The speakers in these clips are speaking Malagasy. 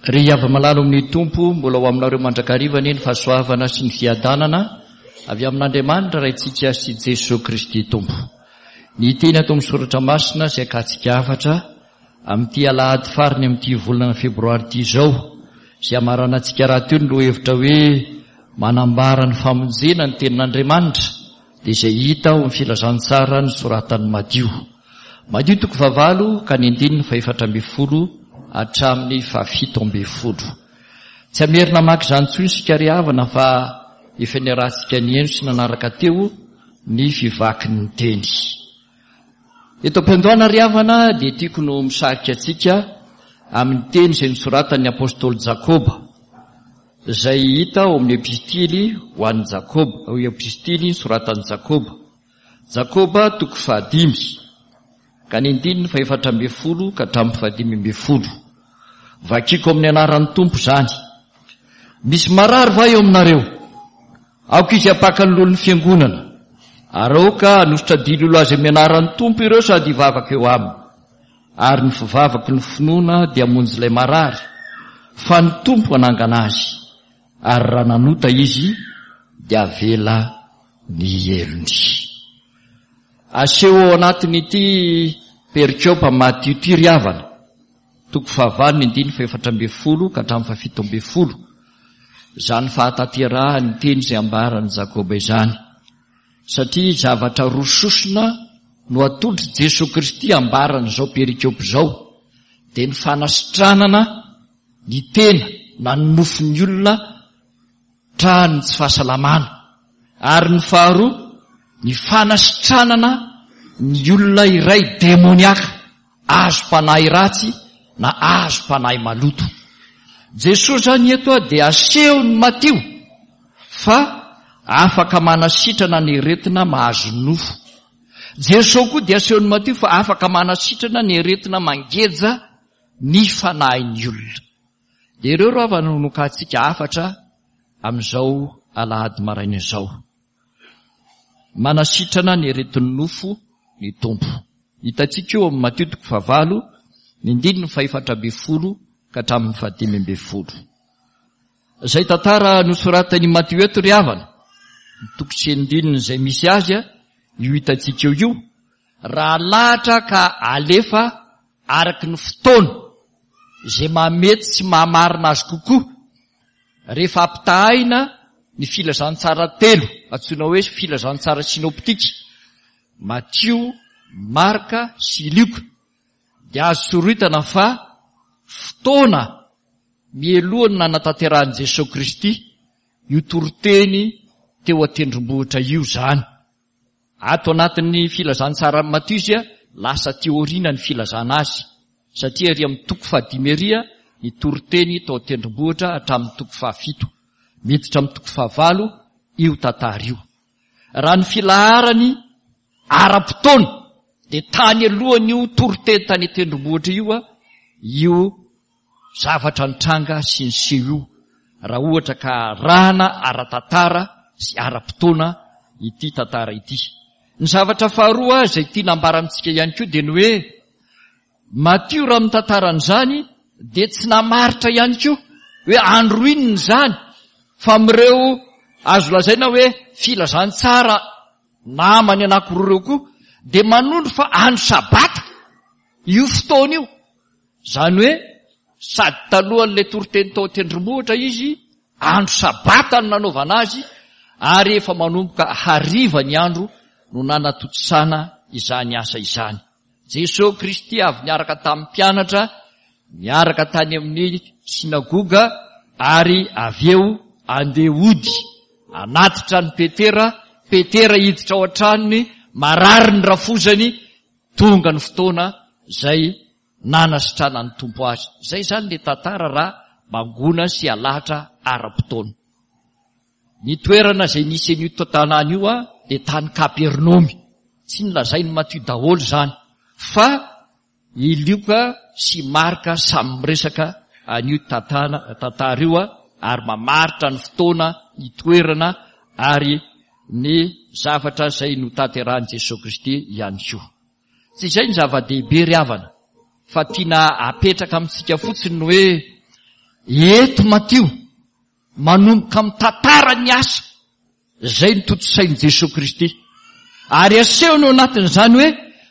Ry hava-malala ao amin'ny Tompo, mbola ho aminareo mandrakariva anie ny fahasoavana sy ny fiadanana avy amin'Andriamanitra Raintsika sy Jesoa Kristy Tompo. Ny teny ato amin'ny Soratra Masina izay akatsika hafatra amin'ity alahady farany amin'ity volana febroary ity izao, izay hamaranantsika rahateo ny lohahevitra hoe manambara ny famonjena ny tenin'Andriamanitra, dia izay hita ao amin'ny filazantsara nosoratan'i Matio. Matio toko fahavalo ka ny andininy fahefatra ambin'ny folo hatramin'ny fahafito ambin'ny folo. Tsy hamerina hamaky izany intsony isika ry havana fa efa niarahantsika nihaino sy nanaraka teo ny fivakin'ny teny. Eto am-piandohana ry havana dia tiako no misarika antsika amin'ny teny izay nosoratan'ny apostoly Jakoba. Izay hita ao amin'ny Epistily ho an'i Jakoba, Epistily nosoratan'i Jakoba. Jakoba toko fahadimy, ka ny andininy fahefatra ambin'ny folo ka hatramin'ny fahadimy ambin'ny folo. Vakiko amin'ny anaran'ny Tompo izany. Misy marary va eo aminareo? Aoka izy hampaka ny loholon'ny fiangonana, ary aoka hanosotra dililo azy amin'ny anaran'ny Tompo ireo sady hivavaka eo aminy. Ary ny fivavaky ny finoana dia hamonjy ilay marary, fa ny Tompo hanangana azy, ary raha nanota izy, dia havela ny helony. Aseho ao anatin'ity perikopa Matio ity ry havana, toko fahavalo ny andininy fahefatra ambin'ny folo ka hatramin'ny fahafito ambin'ny folo, izany fahatanterahan'ny teny izay ambaran'i Jakoba izany. Satria zavatra roa sosona no atolotr'i Jesoa Kristy ambaran'izao perikopa izao, dia ny fanasitranana ny tena na ny nofon'ny olona trahan'ny tsy fahasalamana, ary ny faharoa ny fanasitranana ny olona iray demoniaka. Azom-panahy ratsy na azom-panahy maloto. Jesoa izany eto dia asehon'i Matio fa afaka manasitrana ny aretina mahazo ny nofo. Jesoa koa dia asehon'i Matio fa afaka manasitrana ny aretina mangeja ny fanahin'ny olona. Dia ireo ro havana no nokahantsika hafatra amin'izao alahady maraina izao. Manasitrana ny aretin'ny nofo ny Tompo. Hitantsika io amin'ny Matio toko fahavalo, ny andininy fahefatra ambin'ny folo ka hatramin'ny fahadimy ambin'ny folo. Izay tantara nosoratan'i Matio eto ry havana, ny toko sy andininy izay misy azy, io hitantsika eo io, raha alahatra ka alefa araka ny fotoana izay mahamety sy mahamarina azy kokoa, rehefa ampitahaina ny filazantsara telo, antsoina hoe filazantsara sinoptika, Matio, Marka sy Lioka, dia azo soritana fa fotoana mialohan'ny nanatanterahan'i Jesoa Kristy io toriteny teo an-tendrombohitra io izany. Ato anatin'ny filazantsaran'i Matio izy lasa aty aoriana ny filazana azy, satria ery amin'ny toko fahadimy ery ny toriteny tao an-tendrombohitra hatramin'ny toko fahafito. Miditra amin'ny toko fahavalo io tantara io. Raha ny filaharany ara-potoana dia tany alohan'io toriteny tany an-tendrombohitra io io zavatra nitranga sy niseho io, raha ohatra ka arahana ara-tantara sy ara-potoana ity tantara ity. Ny zavatra faharoa izay tiana ambara amintsika ihany koa dia ny hoe Matio raha mitantara an'izany dia tsy namaritra ihany koa hoe andro inona izany fa amin'ireo azo lazaina hoe filazantsara namany anankiroa ireo koa dia manondro fa andro sabata io fotoana io. Izany hoe sady talohan'ilay toriteny tao an-tendrombohitra izy, andro sabata no nanaovana azy ary efa manomboka hariva ny andro no nanatontosana izany asa izany. Jesoa Kristy avy niaraka tamin'ny mpianatra, niaraka tany amin'ny synagoga ary avy eo andeha hody, hanatitra an'i Petera, Petera hiditra ao an-tranony, marary ny rafozany, tonga ny fotoana izay nanasitranan'ny Tompo azy. Izay izany ilay tantara raha mangona sy alahatra ara-potoana. Ny toerana izay nisy an'io tanàna io dia tany Kapernaomy. Tsy nolazain'i Matio daholo izany, fa i Lioka sy Marka samy miresaka an'io tantara io ary mamaritra ny fotoana, ny toerana ary ny zavatra izay notanterahin'i Jesoa Kristy ihany koa. Tsy izay ny zava-dehibe ry havana fa tiana apetraka amintsika fotsiny ny hoe Eto Matio, manomboka mitantara ny asa izay notontosain'i Jesoa Kristy. Ary asehony ao anatin'izany hoe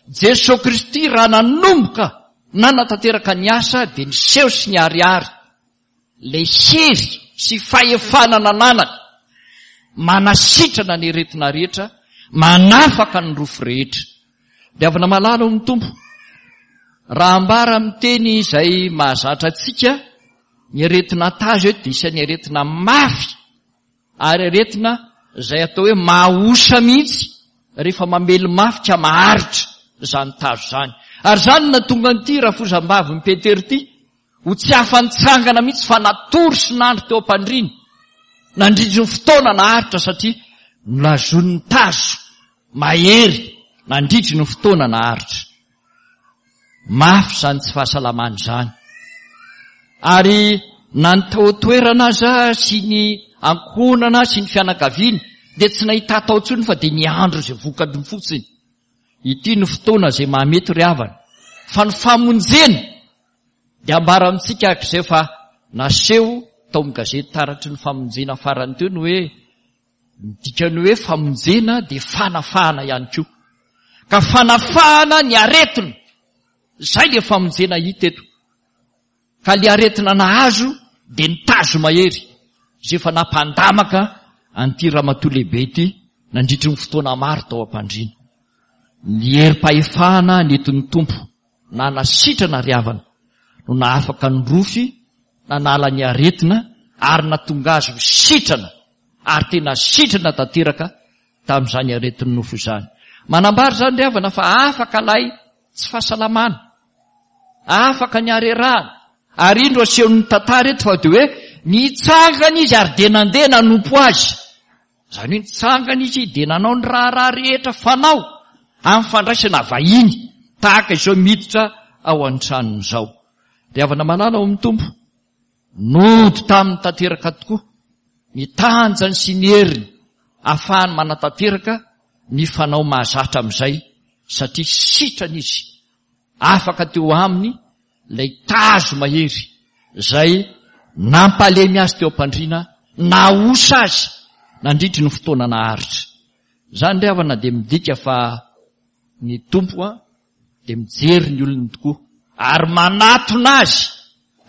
Jesoa Kristy raha nanomboka nanatanteraka ny asa dia niseho sy niharihary ilay hery sy fahefana nananany manasitrana ny aretina rehetra, manafaka ny rofy rehetra. Ry havana malala ao amin'ny Tompo, raha ambara amin'ny teny izay mahazatra antsika, ny aretina tazo eto dia isan'ny aretina mafy ary aretina izay atao hoe mahaosa mihitsy rehefa mamely mafy ka maharitra izany tazo izany. Ary izany no nahatonga an'ity rafozam-bavin'i Petera ity ho tsy afa-nitsangana mihitsy fa natory sy nandry teo am-pandriana nandritry ny fotoana naharitra satria nolazoin'ny tazo mahery nandritry ny fotoana naharitra. Mafy izany tsy fahasalamana izany. Ary na ny tao an-toerana aza sy ny ankohonana sy ny fianakaviana dia tsy nahita atao intsony fa dia niandry izay vokany fotsiny. Ity no fotoana izay mahamety ry havana fa ny famonjena dia ambara amintsika araka izay fa naseho tao amin'ny gazety taratry ny famonjena farany teo ny hoe Ny dikan'ny hoe famonjena dia fanafahana ihany koa. Ka fanafahana ny aretina. Izay ilay famonjena hita eto. Ka ilay aretina nahazo dia ny tazo mahery izay efa nampandamaka an'ity ramatoa lehibe ity nandritry ny fotoana maro tao am-pandriana. Ny herim-pahefana nentin'ny Tompo nanasitrana ry havana no nahafaka ny rofy, nanala ny aretina ary nahatonga azy ho sitrana ary tena sitrana tanteraka tamin'izany aretin'ny nofo izany. Manambara izany ry havana fa afaka ilay tsy fahasalamana, afaka ny harerahana, ary indro asehon'ny tantara eto fa dia hoe nitsangana izy ary dia nandeha nanompo azy. Izany hoe nitsangana izy dia nanao ny raharaha rehetra fanao amin'ny fandraisana vahiny tahaka izao miditra ao an-tranony izao. Ry havana malala ao amin'ny Tompo, nody taminy tanteraka tokoa ny tanjany sy ny heriny ahafahany manatanteraka ny fanao mahazatra amin'izay satria sitrana izy, afaka teo aminy ilay tazo mahery izay nampalemy azy teo am-pandriana, nahaosa azy nandritry ny fotoana naharitra. Izany ry havana dia midika fa ny Tompo dia mijery ny olony tokoa ary manatona azy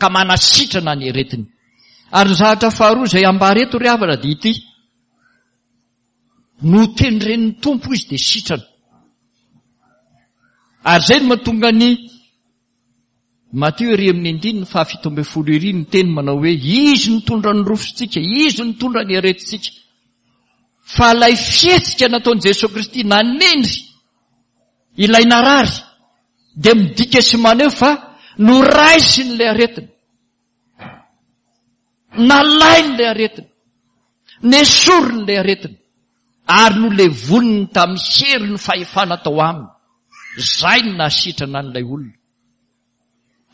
ka manasitrana ny aretiny. Ary ny zavatra faharoa izay ambara eto ry havana dia ity, notendren'ny Tompo izy dia sitrana. Ary izay no mahatonga ny Matio ery amin'ny andininy faha 17 ery ny teny manao hoe izy nitondra ny rofintsika, izy nitondra ny aretintsika. Fa ilay fihetsika nataon'i Jesoa Kristy nanendry ilay narary dia midika sy maneho fa noraisiny ilay aretina. Nalainy ilay aretina. Nesoriny ilay aretina. Ary nolevoniny tamin'ny herin'ny fahefana tao aminy. Izay no nahasitrana an'ilay olona.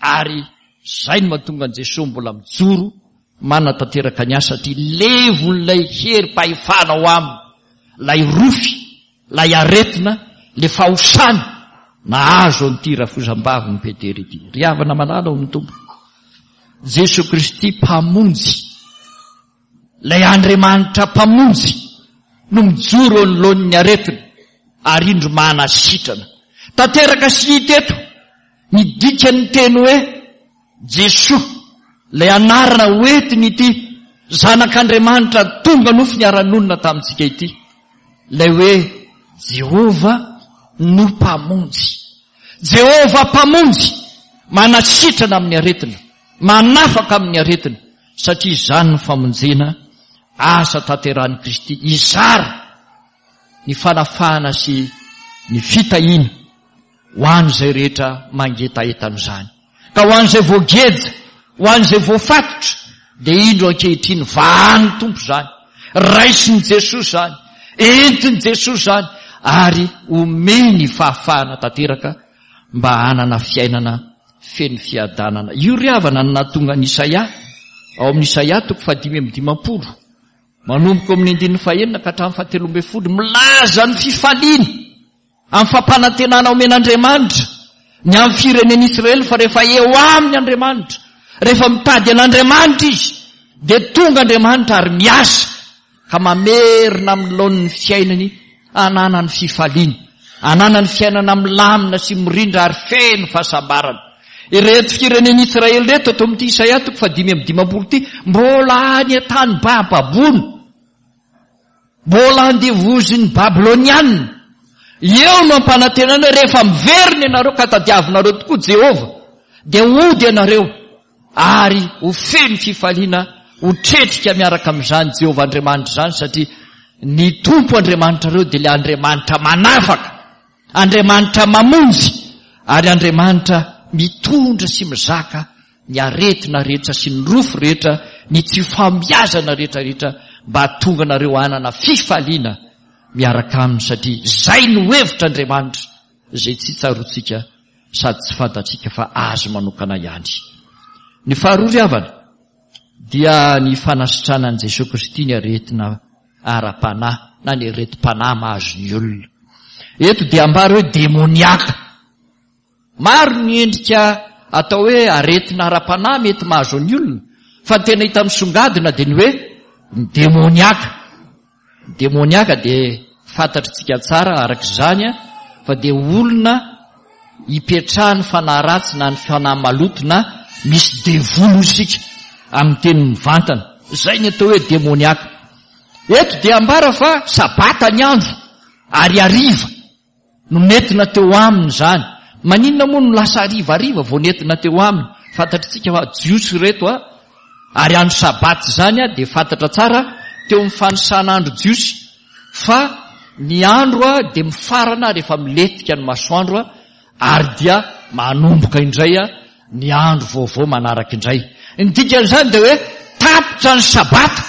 Ary izay no mahatonga an'i Jesoa mbola mijoro manatanteraka ny asa satria levon'ilay herim-pahefana ao aminy, ilay rofy, ilay aretina, ilay fahosana nahazo an'ity rafozam-bavin'i Petera ity. Ry havana malala ao amin'ny Tompo, Jesoa Kristy Mpamonjy, ilay Andriamanitra Mpamonjy no mijoro eo anoloan'ny aretina ary indro manasitrana. Tanteraka sy hita eto ny dikan'ny teny hoe Jesoa, ilay anarana hoentiny ity Zanak'Andriamanitra tonga nofo niara-nonina tamintsika ity, ilay hoe Jehovah no Mpamonjy. Jehovah Mpamonjy manasitrana amin'ny aretina, manafaka amin'ny aretina, satria izany no famonjena asa tanterahin'i Kristy hizara ny fanafahana sy ny fitahiana ho an'izay rehetra mangetaheta an'izany. Ka ho an'izay voageja, ho an'izay voafatotra, dia indro ankehitriny vahan'ny Tompo izany, raisin'i Jesoa izany, entin'i Jesoa izany, ary omeny fahafahana tanteraka mba hanana fiainana feno fiadanana. Io ry havana no nahatonga an'i Isaia, ao amin'ny Isaia toko fahadimy amby dimampolo, manomboka ao amin'ny andininy fahenina ka hatramin'ny fahatelo ambin'ny folo, milaza ny fifaliana amin'ny fampanantenana omen'Andriamanitra ny amin'ny firenen'Israely fa rehefa eo aminy Andriamanitra, Rehefa mitady an'Andriamanitra izy, dia tonga Andriamanitra ary miasa ka mamerina amin'ny laoniny ny fiainany, ananany fifaliana, ananany fiainana milamina sy mirindra ary feno fahasambarana. Ireto firenen'Israely ireto ato amin'ity Isaia toko faha-55 ity, mbola any an-tany bababoana. Mbola andevozin'ny Babylonianina. Eo no ampanantenana hoe rehefa miverina ianareo ka tadiavinareo tokoa Jehovah, dia hody ianareo ary ho feno fifaliana, ho tretrika miaraka amin'izany Jehovah Andriamanitra izany, satria ny Tompo Andriamanitrareo dia ilay Andriamanitra manafaka, Andriamanitra mamonjy, ary Andriamanitra mitondra sy mizaka ny aretina rehetra sy ny rofy rehetra, ny tsy fahombiazana rehetra rehetra mba hahatonga anareo hanana fifaliana miaraka aminy satria izay no hevitr'Andriamanitra izay tsy tsaroantsika sady tsy fantatsika fa azy manokana ihany. Ny faharoa ry havana dia ny fanasitranan'i Jesoa Kristy ny aretina ara-panahy na ny aretim-panahy mahazo ny olona. Eto dia ambara hoe demoniaka. Maro ny endrika atao hoe aretina ara-panahy mety mahazo ny olona, fa ny tena hita misongadina dia ny hoe ny demoniaka. Ny demoniaka dia fantatritsika tsara araka izany fa dia olona ipetrahan'ny fanahy ratsy na ny fanahy maloto na misy devoly hoy isika amin'ny teny mivantana. Izay ny atao hoe demoniaka. Eto dia ambara fa sabata ny andro ary hariva. No nentina teo aminy izany. Maninona moa no lasa harivariva vao nentina teo aminy? Fantatritsika fa Jiosy ireto a, ary andro Sabata izany a, dia fantatra tsara teo amin'ny fanisana andro Jiosy fa ny andro a dia mifarana rehefa milentika ny masoandro a, ary dia manomboka indray a ny andro vaovao manaraka indray. Ny dikan'izany dia hoe tapitra ny Sabata.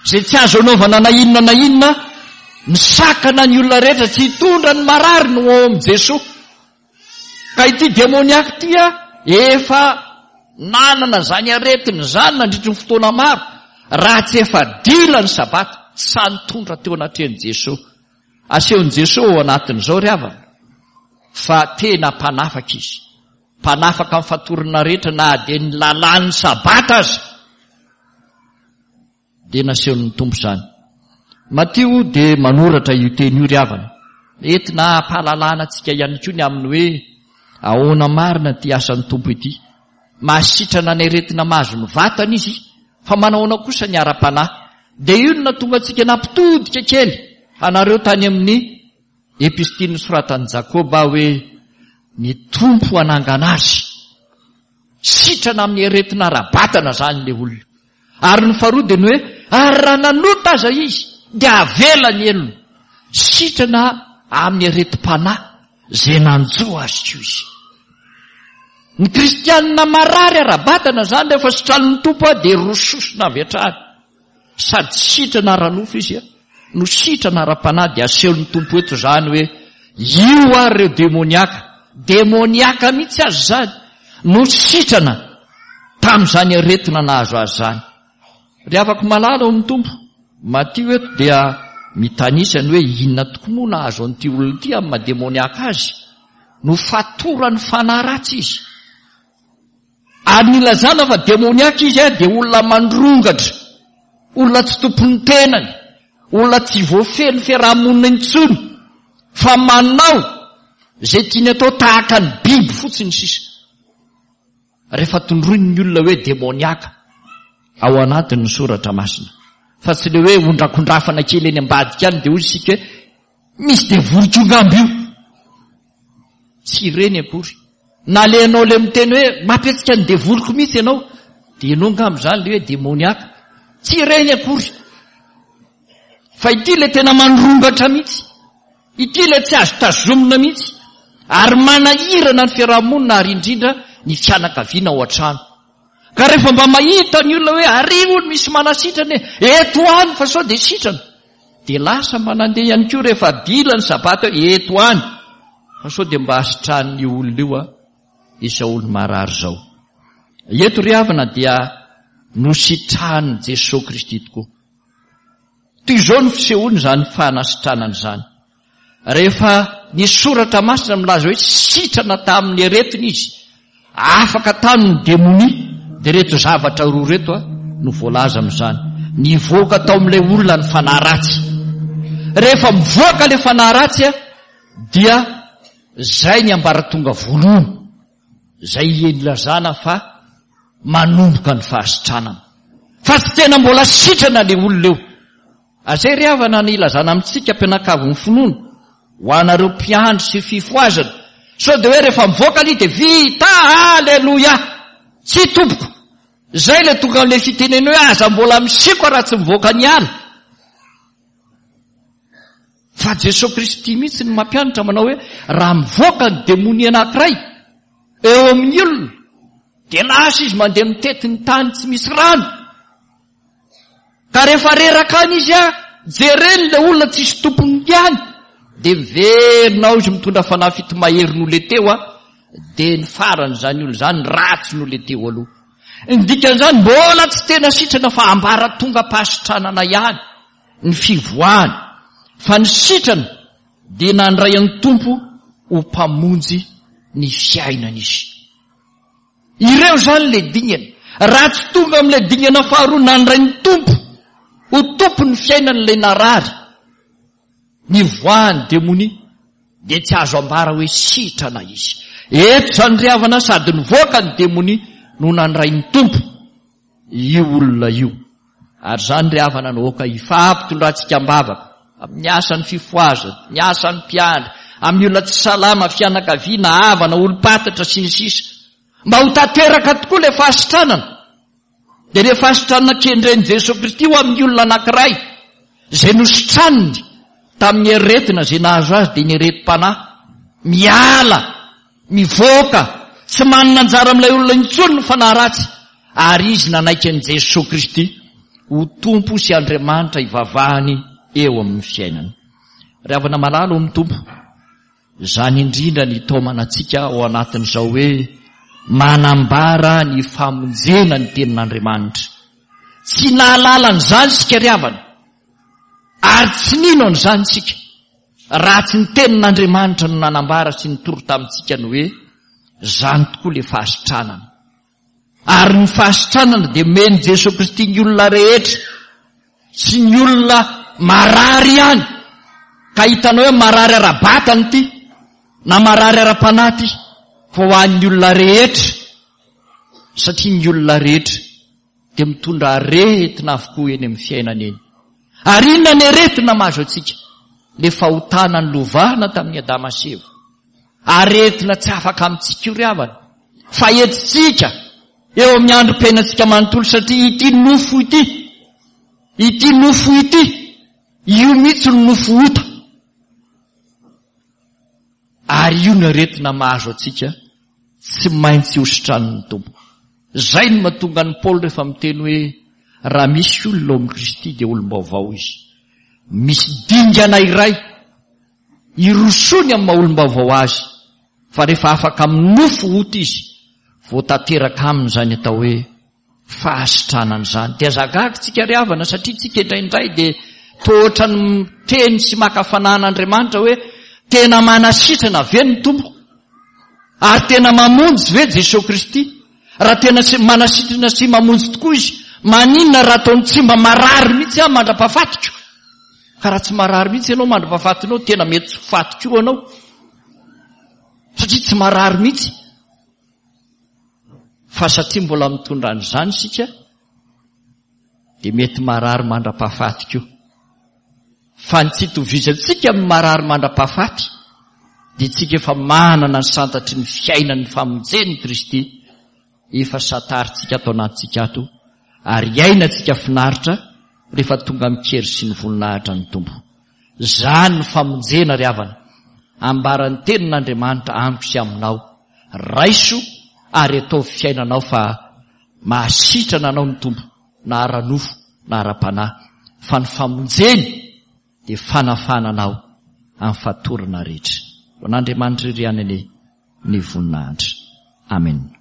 Izay tsy azo anaovana na inona na inona, misakana ny olona rehetra tsy hitondra ny marary no ao amin'i Jesoa. Ka ity demoniaka ity efa nanana izany aretina izany nandritry ny fotoana maro, raha tsy efa dila ny sabata, tsy sahy nitondra teo anatrehan'i Jesoa. Asehon'i Jesoa ao anatin'izao ry havana fa tena mpanafaka izy. Mpanafaka amin'ny fatorana rehetra na dia ny lalàn'ny sabata aza. Dia nasehon'ny Tompo izany. Matio dia manoratra io teny io ry havana. Entina hampahalalana antsika ihany koa ny amin'ny hoe ahoana marina ity asan'ny Tompo ity. Mahasitrana ny aretina mahazo ny vatana izy, fa manahoana kosa ny ara-panahy. Dia io no nahatonga antsika nampitodika kely anareo tany amin'ny epistily nosoratan'i Jakoba hoe ny Tompo hanangana azy. Sitrana amin'ny aretina ara-batana izany ilay olona. Ary ny faharoa dia ny hoe, ary raha nanota aza izy, dia avela ny helony. Sitrana amin'ny aretim-panahy izay nanjo azy koa izy. Ny kristianina marary ara-batana izany rehefa sitranin'ny Tompo dia rososina avy hatrany. Sady sitrana ara-nofo izy no sitrana ara-panahy dia asehon'ny Tompo eto izany hoe io ary ireo demoniaka, demoniaka mihitsy aza izany no sitrana tamin'izany aretina nahazo azy izany. Ry havako malala ao amin'ny Tompo, Matio eto dia mitanisa ny hoe inona tokoa moa nahazo an'ity olona ity amin'ny maha demoniaka azy. Nofatoran'ny fanahy ratsy izy. Ary nilazana fa demoniaka izy dia olona mandrongatra, olona tsy tompon'ny tenany, olona tsy voafehy ny fiaraha-monina intsony, fa manao izay tiany atao tahaka ny biby fotsiny sisa. Rehefa tondroiny ny olona hoe demoniaka ao anatin'ny soratra masina, fa tsy le hoe ondrakondrafana kely eny ambadika any dia hoy isika hoe misy devoly koa ngamba io. Tsy ireny akory. Na le ianao le miteny hoe mampihetsika ny devoliko mihitsy ianao, dia ianao angamba izany le hoe demoniaka. Tsy ireny akory. Fa ity le tena mandrongatra mihitsy. Ity le tsy azo tazomina mihitsy. Ary manahirana ny fiarahamonina ary indrindra ny fianakaviana ao an-trano. Ka rehefa mba mahita ny olona hoe ary hono misy manasitrana e, eto any fa sao dia sitrana. Dia lasa mba nandeha ihany koa rehefa dila ny sabata hoe eto any fa sao dia mba sitranin'io olona io a izao olo marary izao. Eto ry havana dia nositranin'i Jesoa Kristy tokoa. Toy izao ny fisehoany izany fanasitranana izany. Rehefa ny soratra masina milaza hoe sitrana tamin'ny aretina izy, afaka tamin'ny demonia. Dia ireto zavatra roa ireto no voalaza amin'izany. Nivoaka tao amin'ilay olona ny fanahy ratsy. Rehefa mivoaka ilay fanahy ratsy dia izay ny ambaratonga voalohany izay ilazana fa manomboka ny fahasitranana. Fa tsy tena mbola sitrana ilay olona eo. Azay ry havana ny ilazana amintsika mpianakavin'ny finoana, ho anareo mpiandry sy fifohazana, sao dia hoe rehefa mivoaka aloha dia vita, aleloia! Tsia tompoko! Izay ilay tonga amin'ilay fitenena hoe aza mbola misikoa raha tsy mivoaka ny ala. Fa Jesoa Kristy mihitsy no mampianatra manao hoe raha mivoaka ny demonia anankiray eo amin'ny olona dia lasa izy mandeha mitety ny tany tsy misy rano. Ka rehefa reraka any izy a, jereny ilay olona tsisy tompony ihany, dia miverina ao izy mitondra fanahy fito mahery noho ilay teo a, dia ny farany izany olona izany ratsy noho ilay teo aloha. Ny dikan'izany mbola tsy tena sitrana fa ambaratongam-pahasitranana ihany ny fivoahany, fa ny sitrana dia nandray an'ny Tompo ho Mpamonjy ny fiainany izy. Ireo izany ilay dingana. Raha tsy tonga amin'ilay dingana faharoa nandray ny Tompo ho Tompon'ny fiainany ilay narary, nivoahan'ny demonia, dia tsy azo ambara hoe sitrana izy. Eto izany ry havana sady nivoaka ny demonia no nandray ny Tompo io olona io. Ary izany ry havana no aoka hifampitondrantsika am-bavaka amin'ny asan'ny fifohazana, ny asan'ny mpiandry, amin'ny olona tsy salama, fianakaviana, havana, olom-pantatra, sy ny sisa. Mba ho tanteraka tokoa ilay fahasitranana. Dia ilay fahasitranana kendren'i Jesoa Kristy ho amin'ny olona anankiray izay nositraniny tamin'ny aretina izay nahazo azy dia ny aretim-panahy. Miala Mivoaka, tsy manana anjara amin'ilay olona intsony ny fanahy ratsy, ary izy nanaiky an'i Jesoa Kristy ho Tompo sy Andriamanitra hivavahany eo amin'ny fiainany. Ry havana malala ao amin'ny Tompo, izany indrindra ny hitaomana antsika ao anatin'izao hoe manambara ny famonjena ny Tenin'Andriamanitra. Tsy nahalala an'izany isika ry havana, ary tsy nino an'izany isika. Raha tsy ny Tenin'Andriamanitra no nanambara sy nitory tamintsika ny hoe, Izany tokoa ilay fahasitranana. Ary ny fahasitranana dia omen'i Jesoa Kristy ny olona rehetra, tsy ny olona marary ihany, ka hitanao hoe marary ara-batana ity, na marary ara-panahy ity, fa ho an'ny olona rehetra, satria ny olona rehetra dia mitondra aretina avokoa eny amin'ny fiainana eny. Ary inona ny aretina mahazo antsika? Le fahotana nolovana tamin'i Adama sy Eva. Aretina tsy afaka amintsika io ry havana. Fa entintsika eo amin'ny androm-piainantsika manontolo satria ity nofo ity, ity nofo ity, io mihitsy no nofo ota. Ary io ny aretina mahazo antsika tsy maintsy hositranin'ny Tompo. Izay no mahatonga an'i Paoly rehefa miteny hoe raha misy olona ao amin'i Kristy dia olom-baovao izy. Misy dingana iray irosoany amin'ny maha olom-baovao azy fa rehefa afaka amin'ny nofo ota izy vao tanteraka aminy izany atao hoe fahasitranana izany. Dia aza gaga tsika ry havana satria tsika indraindray dia toa ohatran'ny miteny sy maka fanahy an'Andriamanitra hoe tena manasitrana ve ny Tompo? Ary tena mamonjy ve Jesoa Kristy? Raha tena manasitrana sy mamonjy tokoa Izy, maninona raha ataony tsy mba marary mihitsy aho mandra-pahafatiko? Ka raha tsy marary mihitsy ianao mandra-pahafatinao, tena mety tsy ho faty koa ianao. Satria tsy marary mihitsy. Fa satria mbola mitondra an'izany isika, dia mety marary mandra-pahafaty koa. Fa ny tsy itovizantsika amin'ny marary mandra-pahafaty, dia tsika efa manana ny santatry ny fiainan'ny famonjen'i Kristy, efa santarintsika ato anatintsika ato, ary iainantsika finaritra rehefa tonga amin-kery sy ny voninahitra ny Tompo. Izany ny famonjena ry havana, ambaran'ny tenin'Andriamanitra amiko sy aminao. Raiso ary ataovy fiainanao fa mahasitrana anao ny Tompo na ara-nofo na ara-panahy fa ny famonjeny dia fanafahana anao amin'ny fatorana rehetra. Ho an'Andriamanitra irery ihany anie ny voninahitra. Amen.